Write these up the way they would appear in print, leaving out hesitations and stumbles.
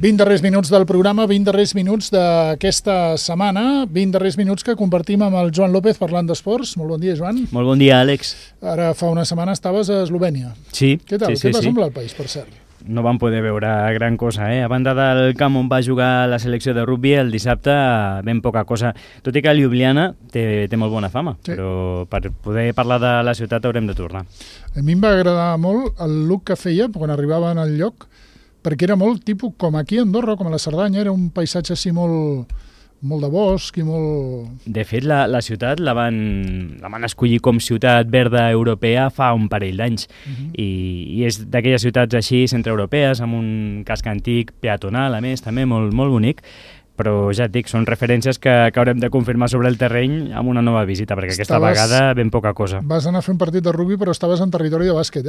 20 darrers minuts del programa, 20 darrers minuts d'aquesta setmana, 20 darrers minuts que compartim amb el Joan López parlant d'esports. Molt bon dia, Joan. Molt bon dia, Àlex. Ara fa una setmana estaves a Eslovènia. Sí. Què tal? Sí, Què va semblar el país, per cert? No vam poder veure gran cosa, A banda del camp on va jugar la selecció de rugby, el dissabte ben poca cosa. Tot i que Ljubljana té molt bona fama, sí. Però per poder parlar de la ciutat haurem de tornar. A mi em va agradar molt el look que feia quan arribaven al lloc, perquè era molt tipus com aquí a Andorra, com a la Cerdanya, era un paisatge així molt de bosc i molt... De fet, la ciutat la van escollir com ciutat verda europea fa un parell d'anys. I és d'aquelles ciutats així centreeuropees, amb un casc antic peatonal, a més, també molt bonic. Però ja et dic, són referències que haurem de confirmar sobre el terreny amb una nova visita, perquè aquesta vegada ben poca cosa. Vas anar a fer un partit de rugby, però estaves en territori de bàsquet,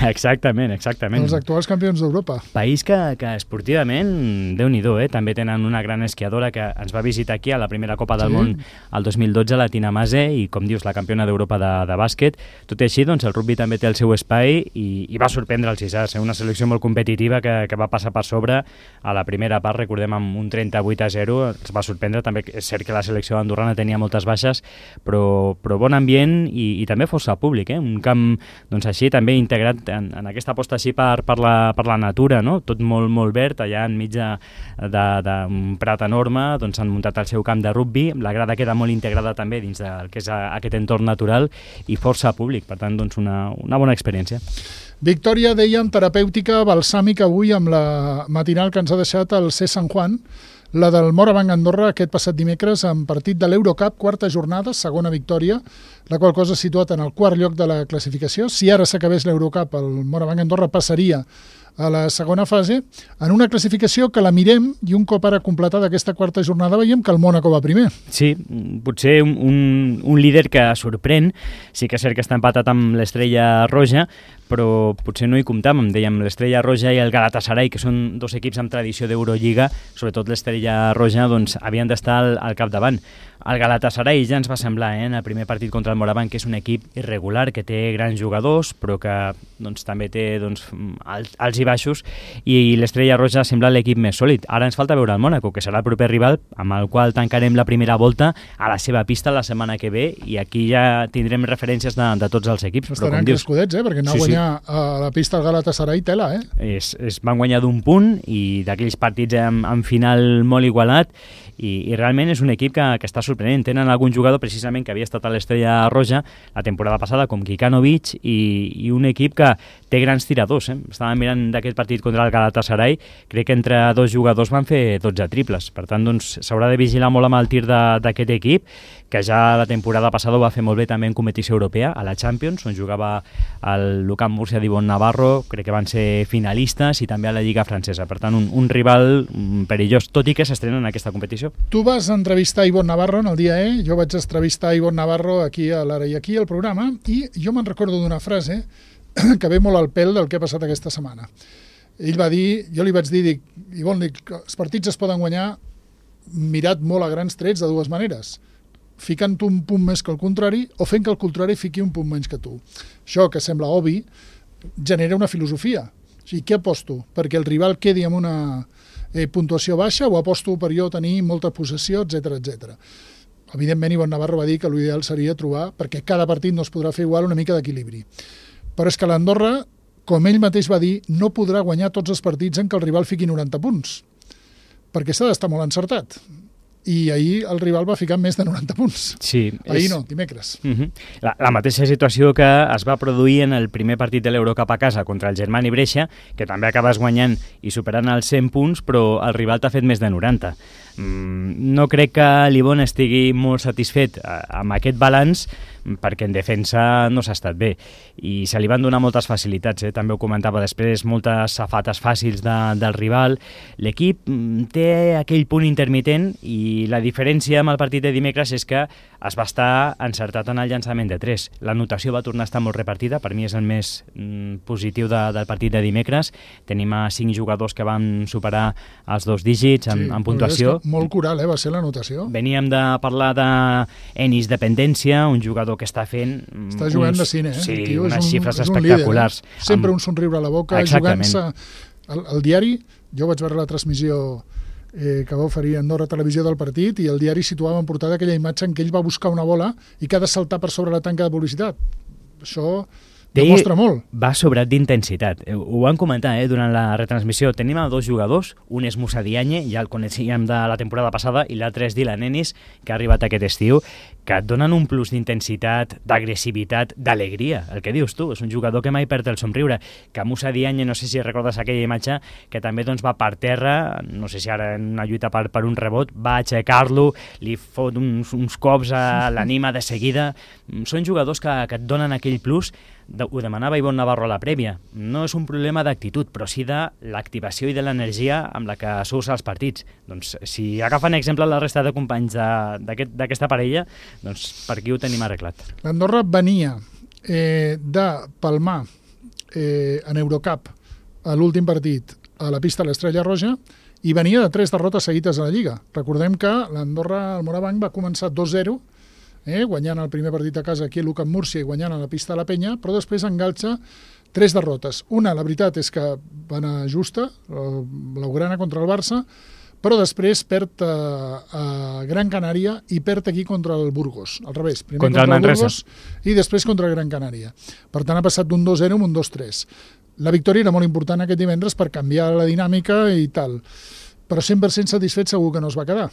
Exactament. Els actuals campions d'Europa. País que esportivament, Déu-n'hi-do, també tenen una gran esquiadora que ens va visitar aquí a la primera Copa del Món el 2012, la Tina Maze, i com dius, la campiona d'Europa de bàsquet. Tot i així, doncs, el rugby també té el seu espai i va sorprendre els isars, una selecció molt competitiva que va passar per sobre a la primera part, recordem, amb un 38-0, els va sorprendre. També és cert que la selecció andorrana tenia moltes baixes, però bon ambient i també força públic, un camp doncs, així també integrat en aquesta aposta així per la natura, no? Tot molt verd, allà enmig d'un prat enorme, doncs han muntat el seu camp de rugby, la grada queda molt integrada també dins del que és aquest entorn natural i força públic, per tant doncs una bona experiència. Victòria, dèiem, terapèutica, balsàmica avui amb la matinal que ens ha deixat el C. Sant Juan, la del Morabanc Andorra aquest passat dimecres en partit de l'Eurocup, quarta jornada, segona victòria, la qual cosa ha situat en el quart lloc de la classificació. Si ara s'acabés l'Eurocup, el Morabanc Andorra passaria a la segona fase, en una classificació que la mirem i un cop ara completada aquesta quarta jornada veiem que el Mònaco va primer. Sí, potser un líder que sorprèn, sí que és cert que està empatat amb l'Estrella Roja, però potser no hi comptàvem, dèiem l'Estrella Roja i el Galatasaray, que són dos equips amb tradició d'Eurolliga, sobretot l'Estrella Roja, doncs havien d'estar al capdavant. El Galatasaray ja ens va semblar, en el primer partit contra el Morabanc, que és un equip irregular, que té grans jugadors, però que doncs, també té alts i baixos, i l'Estrella Roja sembla l'equip més sòlid. Ara ens falta veure el Mònaco, que serà el proper rival, amb el qual tancarem la primera volta a la seva pista la setmana que ve, i aquí ja tindrem referències de tots els equips. Estaran crescudets, perquè anar a guanyar a la pista del Galatasaray tela, Es van guanyar d'un punt, i d'aquells partits amb final molt igualat, i realment és un equip que està sorprenent. Tenen algun jugador precisament que havia estat a l'Estrella Roja la temporada passada, com Kikanovic, i un equip que té grans tiradors. Estàvem mirant d'aquest partit contra el Galatasaray, crec que entre dos jugadors van fer 12 triples. Per tant, doncs, s'haurà de vigilar molt amb el tir d'aquest equip, que ja la temporada passada ho va fer molt bé també en competició europea, a la Champions, on jugava el Lucán Murcia d'Ivonne Navarro, crec que van ser finalistes, i també a la Lliga Francesa. Per tant, un rival perillós, tot i que s'estrena en aquesta competició. Tu vas entrevistar Ivonne Navarro en el dia jo vaig entrevistar Ivonne Navarro aquí a l'Ara i aquí al programa, i jo me'n recordo d'una frase que ve molt al pèl del que ha passat aquesta setmana. Ell va dir, jo li vaig dir, Ivonne, els partits es poden guanyar mirat molt a grans trets de dues maneres, ficant un punt més que el contrari o fent que el contrari fiqui un punt menys que tu. Això, que sembla obvi, genera una filosofia. O sigui, què aposto? Perquè el rival quedi amb una puntuació baixa, o aposto per jo tenir molta possessió, etc. Evidentment, Ivonne Navarro va dir que l'ideal seria trobar, perquè cada partit no es podrà fer igual, una mica d'equilibri. Però és que l'Andorra, com ell mateix va dir, no podrà guanyar tots els partits en què el rival fiqui 90 punts, perquè s'ha d'estar molt encertat. I ahir el rival va ficar més de 90 punts. Sí, ahir no, dimecres. La mateixa situació que es va produir en el primer partit de l'Eurocup a casa contra el Germani Brescia, que també acabes guanyant i superant els 100 punts, però el rival t'ha fet més de 90. No crec que l'Ivonne estigui molt satisfet amb aquest balanç, perquè en defensa no s'ha estat bé i se li van donar moltes facilitats, també ho comentava després, moltes safates fàcils del rival. L'equip té aquell punt intermitent i la diferència amb el partit de dimecres és que es va estar encertat en el llançament de 3. La notació va tornar a estar molt repartida, per mi és el més positiu del partit de dimecres. Tenim 5 jugadors que van superar els 2 dígits en puntuació. Molt coral, va ser la notació. Veníem de parlar d'Enis Dependència, un jugador que està fent... Està jugant de cine, Sí, unes xifres espectaculars. Sempre un somriure a la boca, jugant-se El diari, jo vaig veure la transmissió que va oferir Andorra Televisió del partit, i el diari situava en portada aquella imatge en què ell va buscar una bola i que ha de saltar per sobre la tanca de publicitat. Això demostra molt. Va sobrat d'intensitat. Ho van comentar durant la retransmissió. Tenim a dos jugadors, un és Moussa Diagne, ja el coneixíem de la temporada passada, i l'altre és Dylan Ennis, que ha arribat aquest estiu, que et donen un plus d'intensitat, d'agressivitat, d'alegria. El que dius tu, és un jugador que mai perd el somriure. Que Moussa Diagne, no sé si recordes aquella imatge, que també va per terra, no sé si ara en una lluita per un rebot, va aixecar-lo, li fot uns cops, l'anima de seguida. Són jugadors que et donen aquell plus. Ho demanava Ivonne Navarro a la prèvia. No és un problema d'actitud, però sí de l'activació i de l'energia amb la que s'usa els partits. Doncs si agafen exemple la resta de companys d'aquesta parella, doncs per aquí ho tenim arreglat. L'Andorra venia de palmar en Eurocup a l'últim partit a la pista de l'Estrella Roja i venia de 3 derrotes seguides a la Lliga. Recordem que l'Andorra, el Morabanc, va començar 2-0, guanyant el primer partit a casa aquí a l'UCAM Múrcia i guanyant a la pista de la Penya, però després enganxa 3 derrotes. Una, la veritat, és que va anar justa, blaugrana contra el Barça, però després perd a Gran Canària i perd aquí contra el Burgos. Al revés, primer contra el Burgos i després contra el Gran Canària. Per tant, ha passat d'un 2-0 a un 2-3. La victòria era molt important aquest divendres per canviar la dinàmica i tal, però 100% satisfet segur que no es va quedar.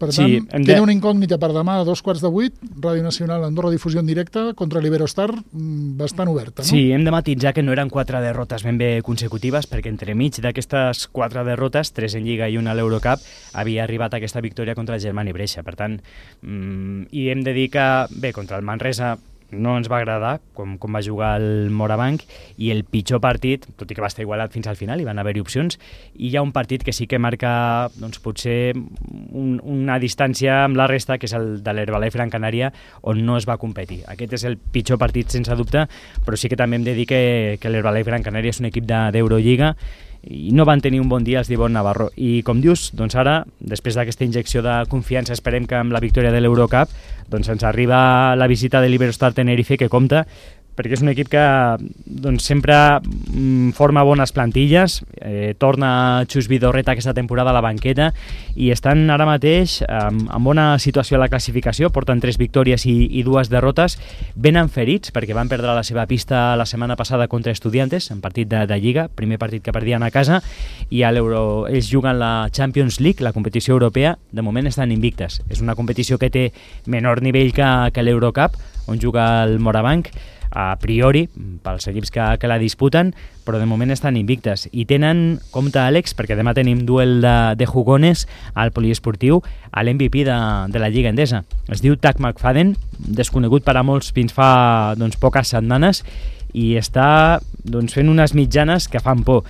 Per tant, queda una incògnita per demà a 7:15, Ràdio Nacional Andorra Difusió en directe contra l'Iberostar, bastant oberta, no? Sí, hem de matisar que no eren 4 derrotes ben bé consecutives, perquè entremig d'aquestes 4 derrotes, 3 en Lliga i una a l'Eurocup, havia arribat aquesta victòria contra el Germani Brescia. Per tant, i hem de dir que, bé, contra el Manresa no ens va agradar com va jugar el Morabanc, i el pitjor partit, tot i que va estar igualat fins al final, hi van haver-hi opcions, i hi ha un partit que sí que marca potser una distància amb la resta, que és el de l'Herbalife Gran Canària, on no es va competir. Aquest és el pitjor partit sense dubte, però sí que també hem de dir que l'Herbalife Gran Canària és un equip d'Eurolliga i no van tenir un bon dia els d'Ivonne Navarro. I com dius, doncs ara, després d'aquesta injecció de confiança, esperem que amb la victòria de l'Eurocup doncs ens arriba la visita de l'Iberostar Tenerife, que compta, perquè és un equip que sempre forma bones plantilles, torna Xus Vidorreta aquesta temporada a la banqueta i estan ara mateix en bona situació a la classificació, porten 3 victòries i 2 derrotes, venen ferits perquè van perdre la seva pista la setmana passada contra Estudiantes, en partit de Lliga, primer partit que perdien a casa, i a ells juguen la Champions League, la competició europea, de moment estan invictes. És una competició que té menor nivell que l'Eurocup, on juga el Morabanc, a priori, pels equips que la disputen, però de moment estan invictes. I tenen, compte Àlex, perquè demà tenim duel de jugones al poliesportiu, a l'MVP de la Lliga Endesa. Es diu Tack McFadden, desconegut per a molts fins fa poques setmanes, i està fent unes mitjanes que fan por.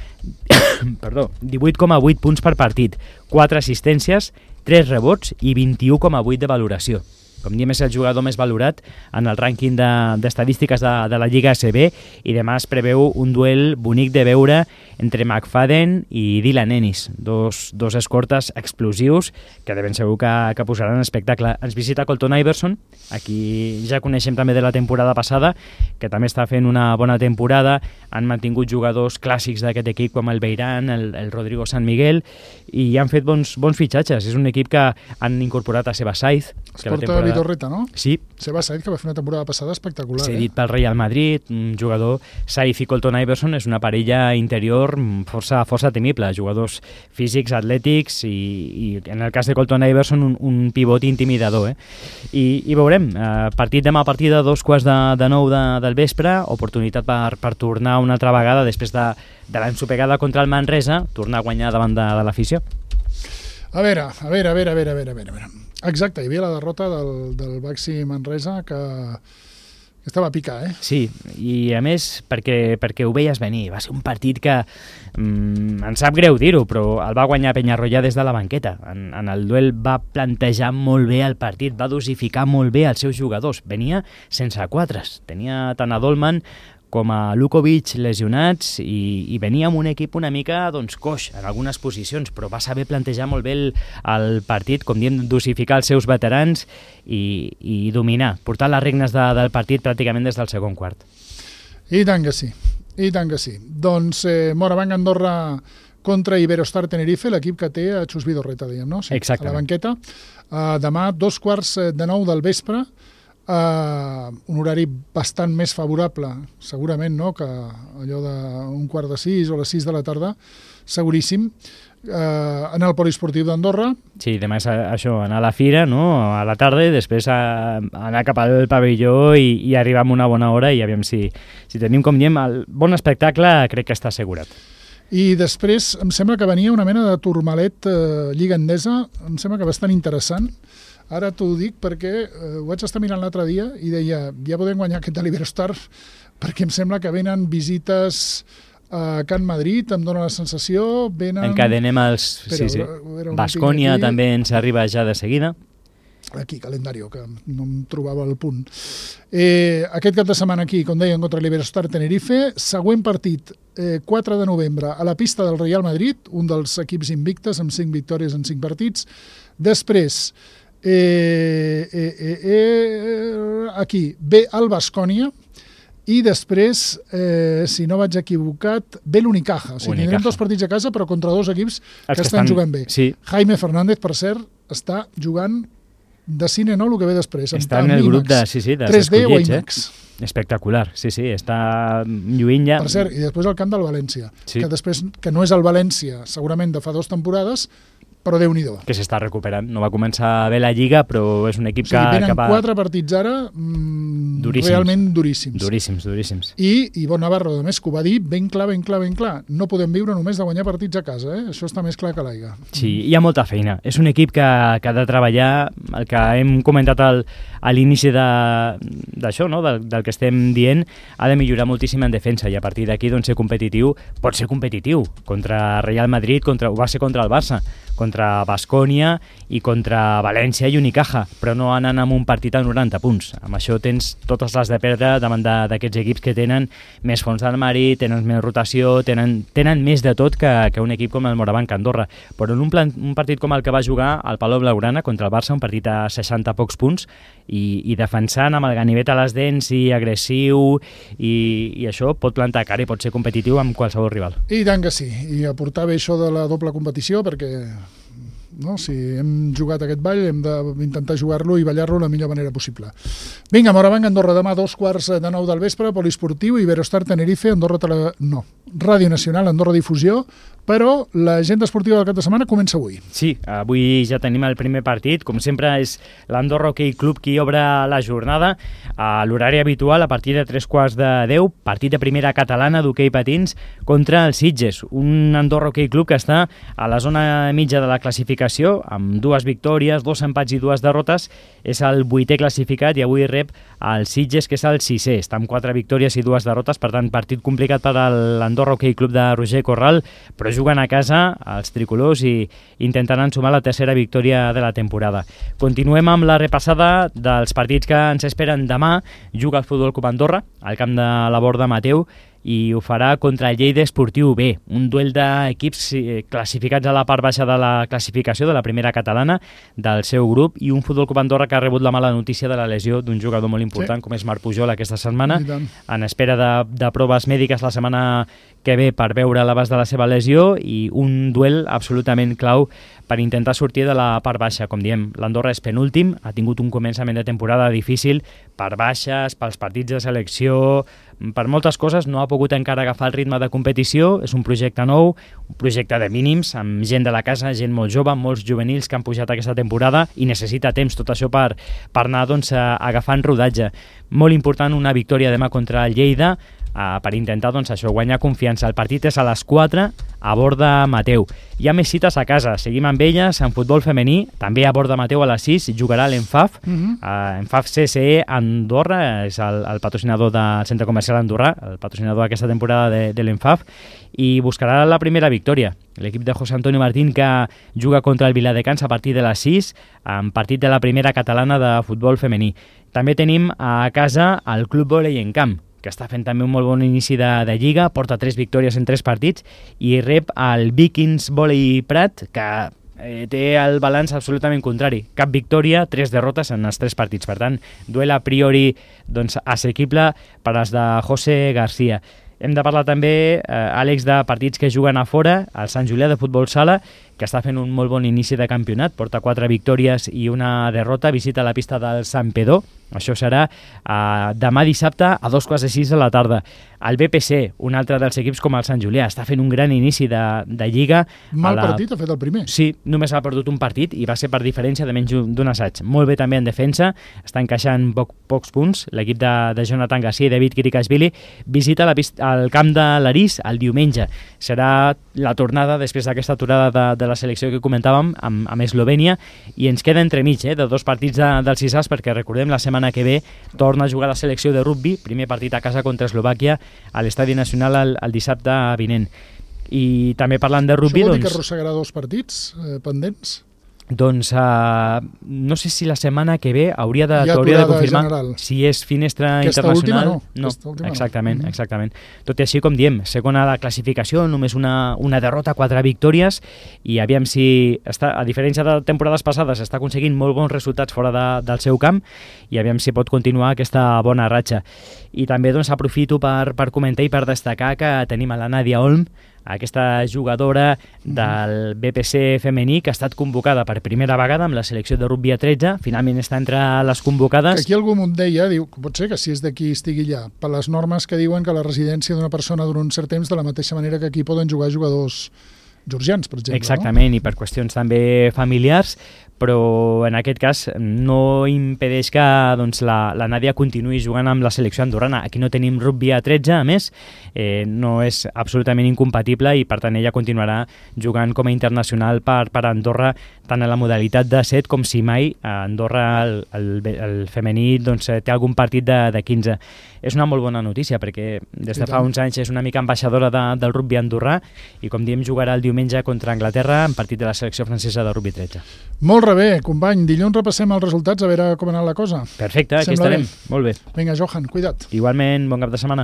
Perdó, 18,8 punts per partit, 4 assistències, 3 rebots i 21,8 de valoració. Com diem, és el jugador més valorat en el rànquing d'estadístiques de la Lliga ACB, i demà es preveu un duel bonic de veure entre McFadden i Dylan Ennis, dos escortes explosius que de ben segur que posaran espectacle. Ens visita Colton Iverson, a qui ja coneixem també de la temporada passada, que també està fent una bona temporada. Han mantingut jugadors clàssics d'aquest equip com el Beirán, el Rodrigo San Miguel, i han fet bons fitxatges. És un equip que han incorporat a Seba Saiz, es porta Vidorreta, no? Sí. Seba Saiz, que va fer una temporada passada espectacular. Cedit pel Real Madrid, un jugador. Saiz i Colton Iverson és una parella interior força temible, jugadors físics, atlètics, i en el cas de Colton Iverson un pivot intimidador. I veurem, partit demà a partir de 8:45 del vespre, oportunitat per tornar una altra vegada després de l'ensopegada contra el Manresa, tornar a guanyar davant de l'afició. A veure. Exacte, hi havia la derrota del Baxi Manresa que estava a picar, Sí, i a més perquè ho veies venir. Va ser un partit que em sap greu dir-ho, però el va guanyar Peñarroya des de la banqueta. En el duel va plantejar molt bé el partit, va dosificar molt bé els seus jugadors. Venia sense quatres, tenia tant a Dolman com a Lukovic lesionats, i venia amb un equip una mica coix en algunes posicions, però va saber plantejar molt bé el partit, com diem, dosificar els seus veterans i dominar, portar les regnes del partit pràcticament des del segon quart. I tant que sí. I tant que sí. Doncs Morabanc Andorra contra Iberostar Tenerife, l'equip que té a Xus Vidorreta, diguem, no? Sí, exactament. A la banqueta. Demà, 8:45 del vespre, un horari bastant més favorable, segurament, no?, que allò d'un 5:15 o les 6 de la tarda, seguríssim, en el poliesportiu d'Andorra. Sí, demà és això, anar a la fira, no?, a la tarda, i després anar cap al pavelló i arribar amb una bona hora, i aviam si tenim, com diem, el bon espectacle, crec que està assegurat. I després em sembla que venia una mena de turmalet Lliga Endesa, em sembla que bastant interessant. Ara t'ho dic perquè ho vaig estar mirant l'altre dia i deia, ja podem guanyar aquest de l'Iberostar, perquè em sembla que venen visites a Can Madrid, em dóna la sensació, venen... Encadenem els... Sí. Baskonia també ens arriba ja de seguida. Aquí, calendario, que no em trobava el punt. Aquest cap de setmana aquí, com deien, contra l'Iberostar Tenerife. Següent partit, 4 de novembre, a la pista del Real Madrid, un dels equips invictes, amb 5 victòries en 5 partits. Després, aquí, ve el Baskonia, i després, si no vaig equivocat, ve l'Unicaja. O sigui, tindrem 2 partits a casa, però contra 2 equips que estan jugant bé. Sí. Jaime Fernández, per cert, està jugant de cine, no?, el que ve després. Està en el grup de 3D o IMAX. Espectacular, sí, està lluint ja. Per cert, i després el camp del València, que no és el València, segurament de fa 2 temporades, però Déu-n'hi-do. Que s'està recuperant. No va començar bé la Lliga, però és un equip que va... Venen 4 partits ara realment duríssims. Duríssims. I Ivonne Navarro, a més, que ho va dir ben clar. No podem viure només de guanyar partits a casa, Això està més clar que l'aigua. Sí, hi ha molta feina. És un equip que ha de treballar, el que hem comentat a l'inici d'això, no?, del que estem dient, ha de millorar moltíssim en defensa, i a partir d'aquí, doncs, pot ser competitiu contra Real Madrid, ho va ser contra el Barça, contra Baskonia i contra València i Unicaja, però no anant amb un partit a 90 punts. Amb això tens totes les de perdre davant d'aquests equips que tenen més fons d'armari, tenen més rotació, tenen més de tot que un equip com el Morabanc Andorra. Però en un partit com el que va jugar al Palau Blaugrana contra el Barça, un partit a 60 pocs punts, i defensant amb el ganivet a les dents i agressiu, i això pot plantar cara i pot ser competitiu amb qualsevol rival. I tant que sí, i aportar bé això de la doble competició, perquè si hem jugat aquest ball hem d'intentar jugar-lo i ballar-lo de la millor manera possible. Vinga, Morabanc Andorra, demà 8:45 del vespre, poliesportiu, Iberostar Tenerife, Ràdio Nacional, Andorra Difusió, però l'agenda esportiva del cap de setmana comença avui. Sí, avui ja tenim el primer partit, com sempre és l'Andorra Hockey Club qui obre la jornada a l'horari habitual a partir de 9:45, partit de primera catalana d'hoquei patins contra el Sitges, un Andorra Hockey Club que està a la zona mitja de la classificació, amb 2 victòries, 2 empats i 2 derrotes, és el 8è classificat i avui rep el Sitges, que és el 6è, està amb 4 victòries i 2 derrotes, per tant, partit complicat per a l'Andorra Hockey Club de Roger Corral, però juguen a casa els tricolors i intentaran sumar la 3a victòria de la temporada. Continuem amb la repassada dels partits que ens esperen demà. Juga el Futbol Club Andorra al camp de la Borda Mateu i ho farà contra el Lleida Esportiu B, un duel d'equips classificats a la part baixa de la classificació de la primera catalana del seu grup, i un Futbol Club Andorra que ha rebut la mala notícia de la lesió d'un jugador molt important, com és Marc Pujol, aquesta setmana, en espera de proves mèdiques la setmana que ve per veure l'abast de la seva lesió, i un duel absolutament clau per intentar sortir de la part baixa. Com diem, l'Andorra és penúltim, ha tingut un començament de temporada difícil per baixes, pels partits de selecció, per moltes coses, no ha pogut encara agafar el ritme de competició. És un projecte nou, un projecte de mínims, amb gent de la casa, gent molt jove, molts juvenils que han pujat aquesta temporada, i necessita temps tot això per anar agafant rodatge. Molt important una victòria demà contra el Lleida, per intentar guanyar confiança. El partit és a les 4 a Borda Mateu. Hi ha més cites a casa, seguim amb elles. En futbol femení, també a Borda Mateu a les 6 jugarà l'Enfaf. Enfaf CSE Andorra és el patrocinador del Centre Comercial Andorrà, el patrocinador d'aquesta temporada de l'Enfaf, i buscarà la primera victòria. L'equip de José Antonio Martín, que juga contra el Viladecans a partir de les 6, en partit de la primera catalana de futbol femení. També tenim a casa el Club Volei en Camp, que està fent també un molt bon inici de Lliga, porta 3 victòries en 3 partits, i rep el Vikings Volei Prat, que té el balanç absolutament contrari. Cap victòria, 3 derrotes en els 3 partits. Per tant, duel a priori assequible per als de José García. Hem de parlar també, Àlex, de partits que juguen a fora, el Sant Julià de Futbol Sala, que està fent un molt bon inici de campionat, porta 4 victòries i una derrota, visita la pista del Santpedor. Això serà demà dissabte a 2:15 de la tarda. El BPC, un altre dels equips com el Sant Julià, està fent un gran inici de Lliga. Partit ha fet el primer. Sí, només ha perdut un partit i va ser per diferència de menys d'un assaig. Molt bé també en defensa, està encaixant pocs punts. L'equip de Jonathan Garcia i David Kirikashvili visita el camp de l'Arís el diumenge. Serà la tornada després d'aquesta aturada de la selecció que comentàvem amb Eslovènia, i ens queda entremig de 2 partits del 6 perquè recordem la setmana que ve torna a jugar la selecció de rugby, primer partit a casa contra Eslovàquia a l'Estadi Nacional el dissabte vinent. I també parlant de rugby... Això vol dir que arrossegarà 2 partits pendents? Doncs no sé si la setmana que ve hauria de confirmar general. Si és finestra Aquesta internacional. No. Exactament. Tot i així, com diem, segona de classificació, només una derrota, 4 victòries, i aviam si, a diferència de temporades passades, està aconseguint molt bons resultats fora del seu camp, i aviam si pot continuar aquesta bona ratxa. I també aprofito per comentar i per destacar que tenim a la Nàdia Olm, aquesta jugadora del BPC femení que ha estat convocada per primera vegada amb la selecció de rugby a 13, finalment està entre les convocades. Que aquí algú m'ho deia, diu, pot ser que si és d'aquí estigui allà, per les normes que diuen que la residència d'una persona dura un cert temps, de la mateixa manera que aquí poden jugar jugadors georgians, per exemple. Exactament, no? I per qüestions també familiars, però en aquest cas no impedeix que la Nàdia continuï jugant amb la selecció andorrana. Aquí no tenim rugby a 13, a més, no és absolutament incompatible, i per tant ella continuarà jugant com a internacional per Andorra, tant en la modalitat de 7 com si mai a Andorra el femení té algun partit de 15. És una molt bona notícia perquè des de fa uns anys és una mica ambaixadora del rugby andorrà, i com diem jugarà el diumenge contra Anglaterra en partit de la selecció francesa de rugby 13. Molt bé, company. Dilluns repassem els resultats a veure com ha anat la cosa. Perfecte, aquí estarem. Molt bé. Vinga, Johan, cuida't. Igualment, bon cap de setmana.